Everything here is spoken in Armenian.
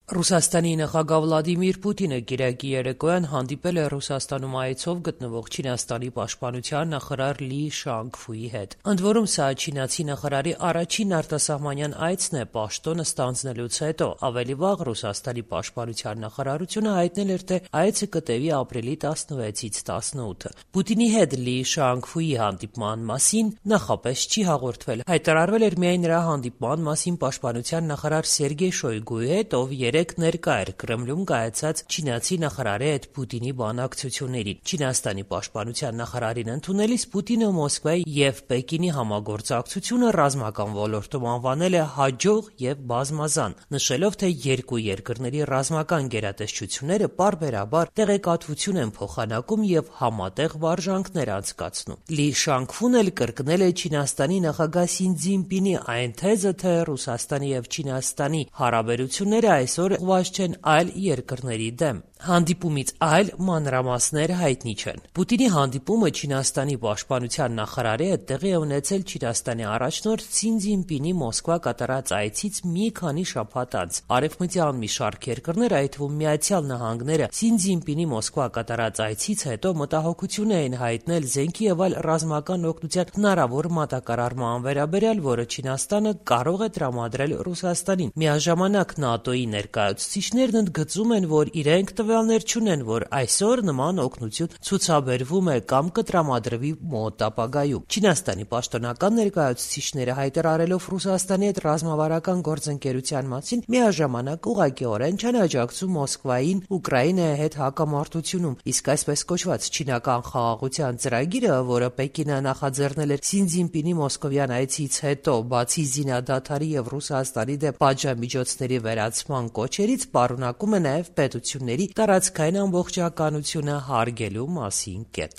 Ռուսաստանի նախագահ Վլադիմիր Պուտինը կիրակի երեկոյան հանդիպել է Ռուսաստանում այցով գտնվող Չինաստանի պաշտպանության նախարար Լի Շանգֆուի հետ։ Ընդ որում, սա չինացի նախարարի առաջին արտասահմանյան այցն է պաշտոնը ստանձնելուց հետո։ Ավելի վաղ Ռուսաստանի պաշտպանության նախարարությունը հայտնել էր, թե այցը կտևի ապրիլի 16-ից 18-ը։ Պուտինի հետ Լի Շանգֆուի հանդիպման մասին նախապես չի հաղորդվել։ Հայտարարվել էր միայն նրա հանդիպման մասին պաշտպանության նախարար Սերգեյ Շոյգուի հետ, ով ներկա էր Կրեմլում կայացած չինացի նախարարի հետ Պուտինի բանակցություններին։ Չինաստանի պաշտպանության նախարարին ընդունելիս Պուտինը Մոսկվայի և Պեկինի համագործակցությունը ռազմական ոլորտում անվանել է հաջող և բազմազան, նշելով, թե երկու երկրների ռազմական գերատեսչությունները պարբերաբար տեղեկատվություն են փոխանակում և համատեղ վարժանքներ անցկացնում։ Լի Շանգֆուն էլ կրկնել է Չինաստանի նախագահ Սին Ցզինպինի այն թեզը, թե Ռուսաստանի և Չինաստանի հարաբերությունները այսօր ուղղված չեն այլ երկրների դեմ։ Հանդիպումից այլ մանրամասներ հայտնի չեն։ Պուտինի հանդիպումը Չինաստանի պաշտպանության նախարարի հետ տեղի է ունեցել Չինաստանի առաջնորդ Սին Ցզինպինի Մոսկվա կատարած այցից մի քանի շաբաթ անց։ Արևմտյան մի շարք երկրներ, այդ թվում Միացյալ Նահանգները, Սին Ցզինպինի Մոսկվա կատարած այցից հետո մտահոգություն էին հայտնել զենքի և այլ ռազմական օգնության հնարավոր մատակարարման վերաբերյալ, որը Չինաստանը կարող է տրամադրել Ռուսաստանին։ Միաժամանակ ՆԱՏՕ-ի ներկայացուցիչներն ընդգծում են, որ իրենք տվյալներ չունեն, որ այսօր նման օգնություն ցուցաբերվում է կամ կտրամադրվի մոտ ապագայում։ Չինաստանի պաշտոնական ներկայացուցիչները հայտարարելով Ռուսաստանի հետ ռազմավարական գործընկերության մասին միաժամանակ ուղղակիորեն չեն աջակցում Մոսկվային Ուկրաինայի հետ հակամարտությունում, իսկ այսպես կոչված չինական խաղաղության ծրագիրը, որը Պեկինը նախաձեռնել էր Սին Ցզինպինի մոսկովյան այցից հետո, բացի զինադադարի և Ռուսաստանի դեմ պատժամիջոցների վերացման կոչերից, պարունակում է նաև պետությունների տարածքային ամբողջականությունը հարգելու մասին կետ։